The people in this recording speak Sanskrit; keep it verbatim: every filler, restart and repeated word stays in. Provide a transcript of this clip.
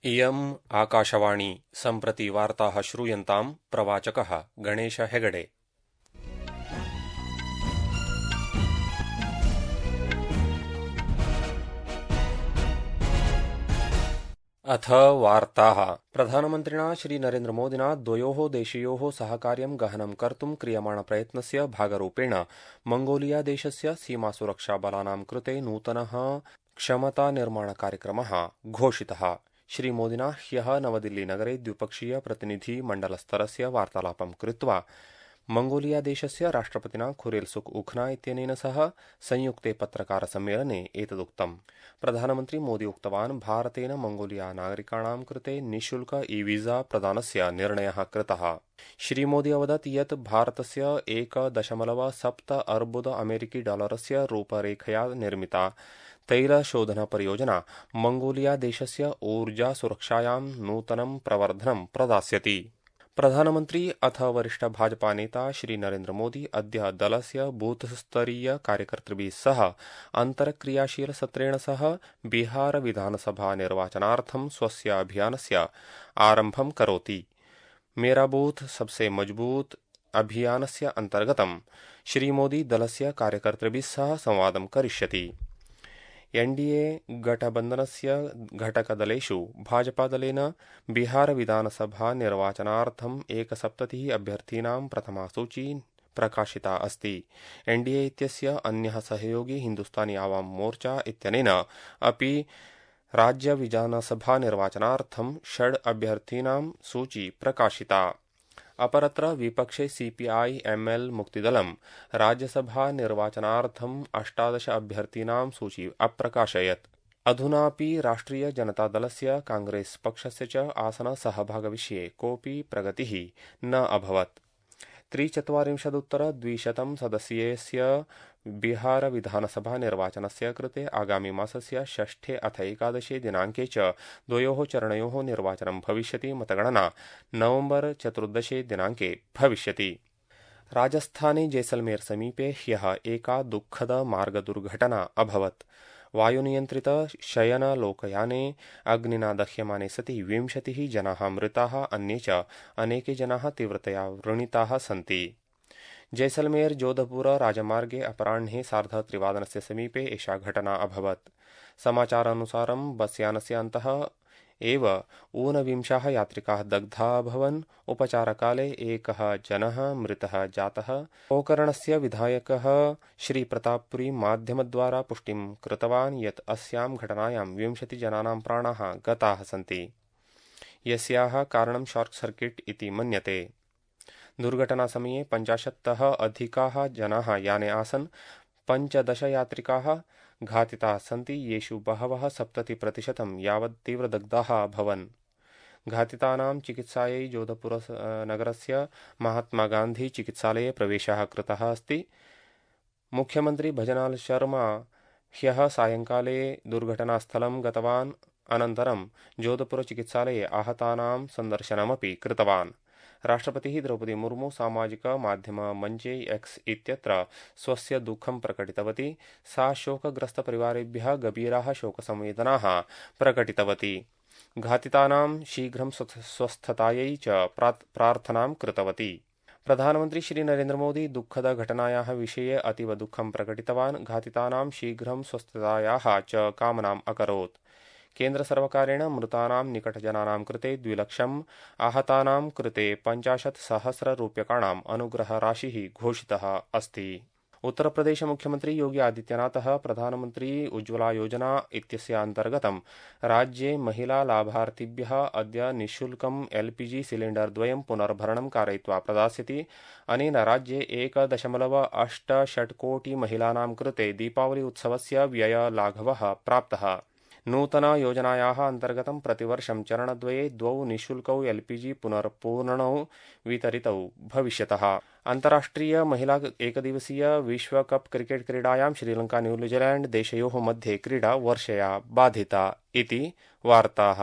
इयम् आकाशवाणी सम्प्रति वार्ताः श्रूयन्ताम् प्रवाचकः गणेश हेगडे। अथ वार्ताः। प्रधानमन्त्रिणा श्री नरेन्द्रमोदिना द्वयोः देशयोः सहकार्यं गहनं कर्तुं क्रियमाणप्रयत्नस्य भागरूपेण मंगोलियादेशस्य सीमासुरक्षाबलानां कृते नूतनः क्षमतानिर्माणकार्यक्रमः घोषितः। श्रीमोदिना ह्यः नवदिल्लीनगरे द्विपक्षीय प्रतिनिधिमण्डलस्तरस्य वार्तालापं कृत्वा मंगोलियादेशस्य राष्ट्रपतिना खुरेलसुख उखना इत्यनेन सह संयुक्ते पत्रकारसम्मेलने एतदुक्तम्। प्रधानमन्त्री मोदी उक्तवान्, भारतेन मंगोलिया नागरिकाणां कृते निःशुल्क ई वीजा प्रदानस्य निर्णयः कृतः। श्रीमोदी अवदत् यत् भारतस्य एक दशमलव सप्त अर्बुद अमेरिकी डॉलरस्य रूपरेखया निर्मिता तैलशोधनपरियोजना मंगोलियादेशस्य ऊर्जा सुरक्षायां नूतनं प्रवर्धनं प्रदास्यति। प्रधानमन्त्री अथ वरिष्ठ भाजपा नेता श्री नरेन्द्र मोदी अद्य दलस्य बूथस्तरीय कार्यकर्तृभिः सह अन्तर्क्रियाशील सत्रेण सह बिहार विधानसभा निर्वाचनार्थं स्वस्य अभियानस्य आरम्भं करोति। मेरा बूथ सबसे मजबूत अभियानस्य अन्तर्गतं श्रीमोदी दलस्य कार्यकर्तृभिः सह संवादं करिष्यति। एनडीए गठबन्धनस्य घटकदलेषु भाजपादलेन बिहार विधानसभा निर्वाचनार्थम् एकसप्ततिः अभ्यर्थीनां प्रथमा सूची प्रकाशिता अस्ति। एनडीए इत्यस्य अन्यः सहयोगी हिन्दुस्तानी आवाम मोर्चा इत्यनेन अपि राज्य विधानसभा निर्वाचनार्थं षड् अभ्यर्थीनां सूची प्रकाशिता। अपरत्र विपक्षे सीपीआई एमएल मुक्तिदलं राज्यसभा निर्वाचनार्थम् अष्टादश अभ्यर्थीनां सूची अप्रकाशयत्। अधुनापि राष्ट्रिय जनतादलस्य कांग्रेस पक्षस्य च आसनसहभागविषये कोऽपि प्रगतिः न अभवत्। त्रिचत्वारिंशदुत्तर द्विशतं सदस्यस्य बिहार विधानसभा निर्वाचनस्य कृते आगामी मासस्य षष्ठे अथ एकादशे दिनाङ्के च द्वयोः चरणयोः निर्वाचनं भविष्यति। मतगणना नवम्बर चतुर्दशे दिनाङ्के भविष्यति। राजस्थाने जैसलमेर समीपे ह्यः एका दुःखद मार्गदुर्घटना अभवत्। वायुनियन्त्रित शयनलोकयाने अग्निना दह्यमाने सति विंशतिः जनाः मृताः, अन्ये च अनेके जनाः तीव्रतया व्रणिताः सन्ति। जैसलमेर जोधपुर राजमार्गे अपराह्ने सार्धत्रिवादनस्य समीपे एषा घटना अभवत्। समाचारानुसारं बस्यानस्य अन्तः एव ऊनविंशाः यात्रिकाः दग्धाः अभवन्। उपचारकाले एकः जनः मृतः जातः। गोकर्णस्य विधायकः श्री प्रतापपुरी माध्यमद्वारा पुष्टिं कृतवान् यत् अस्यां घटनायां विंशतिजनानां प्राणाः गताः सन्ति, यस्याः कारणं शार्ट् सर्किट् इति मन्यते। दुर्घटनासमये पञ्चाशत्तः अधिकाः जनाः याने आसन्। पञ्चदश यात्रिकाः घातिताः सन्ति, येषु बहवः सप्ततिप्रतिशतं यावत् तीव्रदग्धाः अभवन्। घातितानां चिकित्सायै जोधपुर नगरस्य महात्मा गान्धी चिकित्सालये प्रवेशः कृतः अस्ति। मुख्यमन्त्री भजनाल शर्मा ह्यः सायङ्काले दुर्घटनास्थलं गतवान्। अनन्तरं जोधपुर चिकित्सालये आहतानां सन्दर्शनमपि कृतवान्। राष्ट्रपतिः द्रौपदी मुर्मू सामाजिक माध्यम मञ्चे एक्स इत्यत्र स्वस्य दुःखं प्रकटितवती। सा शोकग्रस्तपरिवारेभ्यः गभीराः शोकसंवेदनाः प्रकटितवती। घातितानां शीघ्रं स्वस्थतायै च प्रार्थनां कृतवती। प्रधानमन्त्री श्री नरेन्द्र मोदी दुःखदघटनायाः विषये अतीव दुःखं प्रकटितवान्। घातितानां शीघ्रं स्वस्थतायाः च कामनाम् अकरोत्। केन्द्रसर्वकारेण मृतानां निकटजनानां कृते द्विलक्षम्, आहतानां कृते पञ्चाशत् सहस्ररूप्यकाणाम् अनुग्रहराशिः घोषितः अस्ति। उत्तरप्रदेश मुख्यमन्त्री योगी आदित्यनाथः प्रधानमन्त्री उज्ज्वला योजना इत्यस्य अन्तर्गतं राज्ये महिला लाभार्थिभ्यः अद्य निःशुल्कम् एलपीजी सिलिण्डर् द्वयं पुनर्भरणं कारयित्वा प्रदास्यति। अनेन राज्ये एक दशमलव अष्ट षट् कोटि महिलानां कृते दीपावली उत्सवस्य व्ययलाघवः प्राप्तः। नूतना योजनायाः अन्तर्गतं प्रतिवर्षं चरणद्वये द्वौ निःशुल्कौ एलपीजी पुनर्पूरणौ वितरितौ भविष्यतः। अन्ताराष्ट्रिय महिला एकदिवसीय विश्वकप क्रिकेट क्रीडायां श्रीलंका न्यूजीलैंड देशयोः मध्ये क्रीडा वर्षया बाधिता इति वार्ताः।